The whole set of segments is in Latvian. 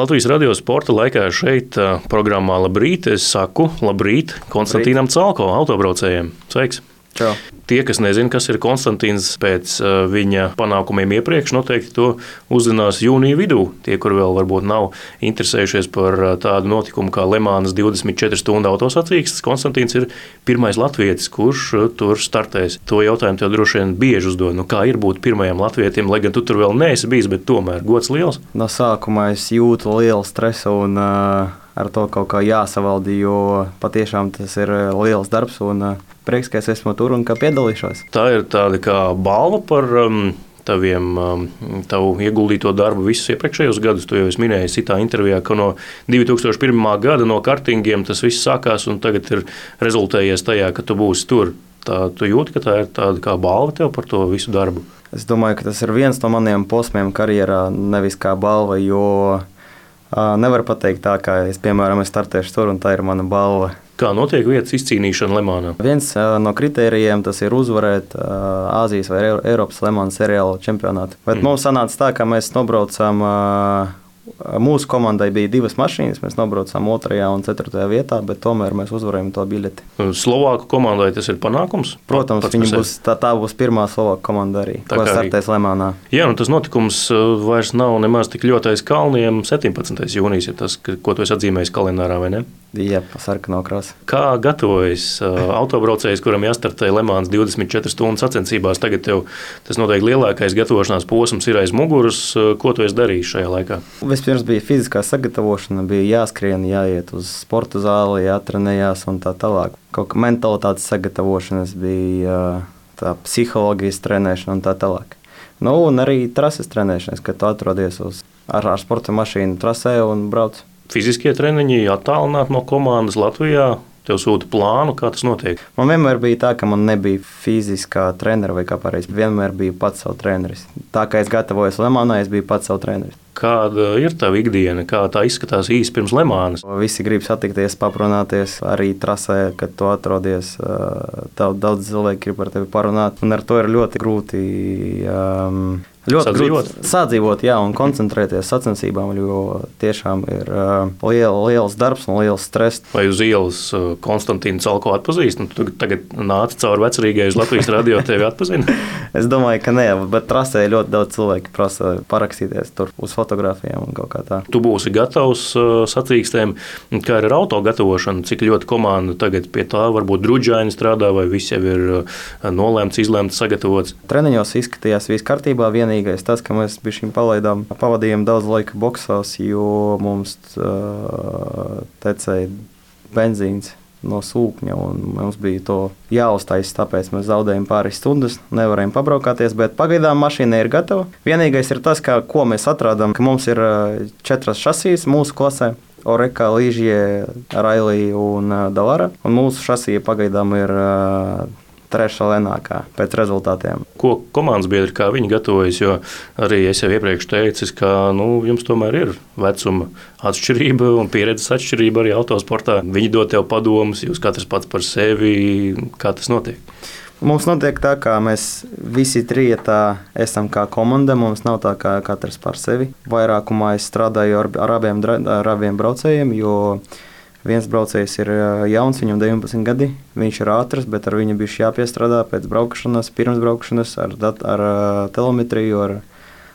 Latvijas radio sporta laikā šeit programmā Labrīt. Es saku labrīt Konstantīnam Calko, autobraucējiem. Sveiks! Čau! Tie, kas nezina, kas ir Konstantīns pēc viņa panākumiem iepriekš, noteikti to uzzinās jūnija vidū. Tie, kur vēl varbūt nav interesējušies par tādu notikumu kā Lemānas 24 stundu autosacīkstes, Konstantīns ir pirmais latvietis, kurš tur startēs. To jautājumu tev droši vien bieži uzdod. Kā ir būt pirmajam latvietim, lai gan tu tur vēl neesi bijis, bet tomēr gods liels? No sākuma es jūtu lielu stresu un ar to kaut kā jāsavaldi, jo patiešām tas ir liels darbs un prieks, ka es esmu tur un ka piedalīšos. Tā ir tāda kā balva par tavu ieguldīto darbu visus iepriekšējos gadus. Tu jau esi minējis citā intervijā, ka no 2001. gada no kartingiem tas viss sākās un tagad ir rezultējies tajā, ka tu būsi tur. Tu jūti, ka tā ir tāda kā balva tev par to visu darbu? Es domāju, ka tas ir viens no maniem posmiem karjerā, nevis kā balva, jo nevar pateikt tā, ka es, piemēram, startēšu tur un tā ir mana balva. Kā notiek vietas izcīnīšana Lemānā? Viens no kritērijiem tas ir uzvarēt Āzijas vai Eiropas Lemānas seriāla čempionātu. Bet mums sanāca tā, ka mēs nobraucām, mūsu komandai bija 2 mašīnas, mēs nobraucām 2. un 4. vietā, bet tomēr mēs uzvarējām to biļeti. Slovāku komandai tas ir panākums? Protams, tā būs pirmā Slovāku komanda arī, ko startēs Lemānā. Jā, tas notikums vairs nav nemaz tik ļoti aiz kalniem. 17. jūnijas ir tas, ko tu esi atzīmējis kalendārā, vai ne? Jā, sarkanā krāsa. Kā gatavojas autobraucējs, kuram jāstartē Lemānas 24 stundu sacensībās? Tagad tev tas noteikti lielākais gatavošanās posms ir aiz muguras. Ko tu esi darījis šajā laikā? Vispirms bija fiziskā sagatavošana, bija jāskrien, jāiet uz sporta zāli, jātrenējās un tā tālāk. Kaut kā mentalitātes sagatavošanas bija tā psiholoģijas trenēšana un tā tālāk. Un arī trases trenēšanas, kad tu atrodies ar sporta mašīnu trasē un brauc. Fiziskie treniņi attālināti no komandas Latvijā, tev sūta plānu, kā tas notiek? Man vienmēr bija tā, ka man nebija fiziskā trenera vai kā pareizi. Vienmēr biju pats savu treneris. Tā kā es gatavojos Lemānai, es biju pats savu treneris. Kāda ir tava ikdiena? Kā tā izskatās īsi pirms Lemānas? Visi grib satikties, paprunāties arī trasē, kad tu atrodies. Daudz cilvēki grib ar tevi parunāt, un ar to ir ļoti grūti sadzīvot, jā, un koncentrēties sacensībām, jo tiešām ir liels darbs un liels stress. Vai uz ielas Konstantīnu Calko atpazīst? Tu tagad nāci cauri vecrīgai uz Latvijas radio, tevi atpazina? Es domāju, ka nē, bet trasē ļoti daudz cilvēki prasa parakstīties tur uz fotogrāfijām un kaut kā tā. Tu būsi gatavs sacīkstēm, kā ir ar auto gatavošanu, cik ļoti komanda tagad pie tā varbūt druģaini strādā, vai viss jau ir nolēmts, izlēmts, sagatavots? Treniņos izskatījās viss kārtībā, vienīgais tas, ka mēs pavadījām daudz laika boksās, jo mums tecēja benzīns no sūkņa, un mums bija to jāuztaisa, tāpēc mēs zaudējām pāris stundas, nevarējām pabraukāties, bet pagaidām mašīna ir gatava. Vienīgais ir tas, ko mēs atradām, ka mums ir 4 šasijas mūsu klasē. Oreka, Līžie, Railī un Dalara, un mūsu šasija pagaidām ir 3. lenākā pēc rezultātiem. Ko komandas biedri, kā viņi gatavojas, jo arī es jau iepriekš teicis, ka jums tomēr ir vecuma atšķirība un pieredzes atšķirība arī autosportā. Viņi dod tev padomus, jūs katrs pats par sevi, kā tas notiek? Mums notiek tā, kā mēs visi 3 esam kā komanda, mums nav tā kā katrs par sevi. Vairākumā es strādāju ar abiem braucējiem, jo viens braucējs ir jauns, viņam 19 gadi, viņš ir ātrs, bet ar viņu bišķi jāpiestrādā pēc braukšanas, pirms braukšanas, ar telemetriju, ar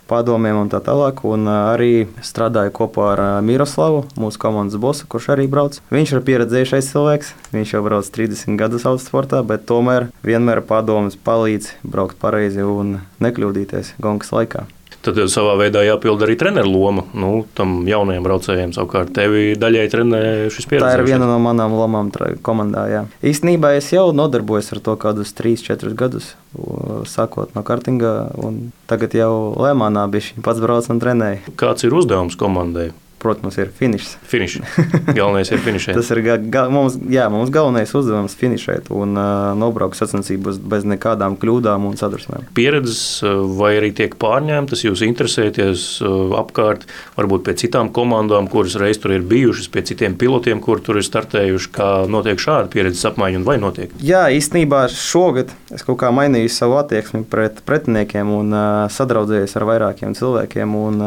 padomiem un tā tālāk. Un arī strādāju kopā ar Miroslavu, mūsu komandas bosu, kurš arī brauc. Viņš ir pieredzējušais cilvēks, viņš jau brauc 30 gadus autosportā, bet tomēr vienmēr padomus palīdz braukt pareizi un nekļūdīties gongas laikā. Tad savā veidā jāpild arī treneru loma. Tam jaunajiem braucējiem savukārt tevi daļai trenē šis pieredzējums. Tā ir viena no manām lomām komandā, jā. Īstenībā es jau nodarbojos ar to kādus 3-4 gadus, sākot no kartinga, un tagad jau Lemānā bišķi pats brauc un trenēju. Kāds ir uzdevums komandai? Protams, ir finišs. Galvenais ir finišēt. Tas ir mums galvenais uzdevums finišēt un nobraukt sacensības bez nekādām kļūdām un sadursmēm. Pieredzes vai arī tiek pārņemtas, jūs interesēties apkārt, varbūt pie citām komandām, kuras reiz tur ir bijušas, pie citiem pilotiem, kur tur ir startējuši, kā notiek šāda pieredzes apmaiņa un vai notiek? Jā, īstenībā šogad es kaut kā mainīju savu attieksmi pret pretiniekiem un sadraudzējos ar vairākiem cilvēkiem, un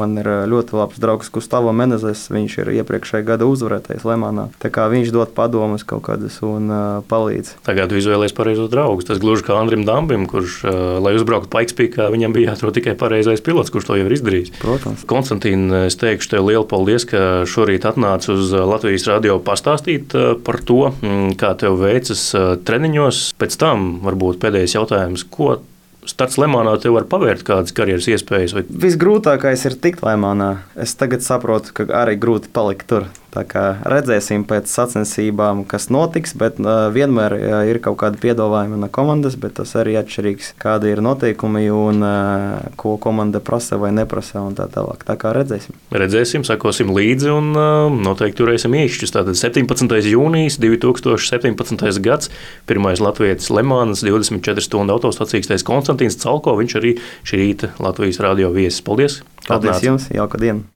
man ir ļoti labs draugs Gustavo Menezes, viņš ir iepriekšējā gada uzvarētājs Lemānā. Tā kā viņš dod padomus kaut kādas un palīdz. Tagad tu izvēlējies pareizos draugus. Tas gluži kā Andrim Dambim, kurš, lai uzbrauktu Pikespīkā, viņam bija jāatrod tikai pareizais pilots, kurš to jau ir izdarījis. Protams. Konstantīna, es teikšu tev lielu paldies, ka šorīt atnāci uz Latvijas radio pastāstīt par to, kā tev veicas treniņos. Pēc tam varbūt pēdējais jautājums, ko starts Lemānā tev var pavērt kādas karjeras iespējas? Visgrūtākais ir tikt Lemānā. Es tagad saprotu, ka arī grūti palikt tur. Tā kā redzēsim pēc sacensībām, kas notiks, bet vienmēr ir kaut kādi piedāvājumi no komandas, bet tas arī atšķirīgs, kādi ir noteikumi un ko komanda prasa vai neprasa un tā tālāk. Tā kā redzēsim. Redzēsim, sakosim līdzi un noteikti turēsim īšķus. Tātad 17. jūnijas 2017. gads, pirmais latvietis Lemānas 24 stundu autosacīkstais Konstantīns Calko, viņš arī šī rīta Latvijas radio viesis. Paldies! Paldies jums, jauka diena!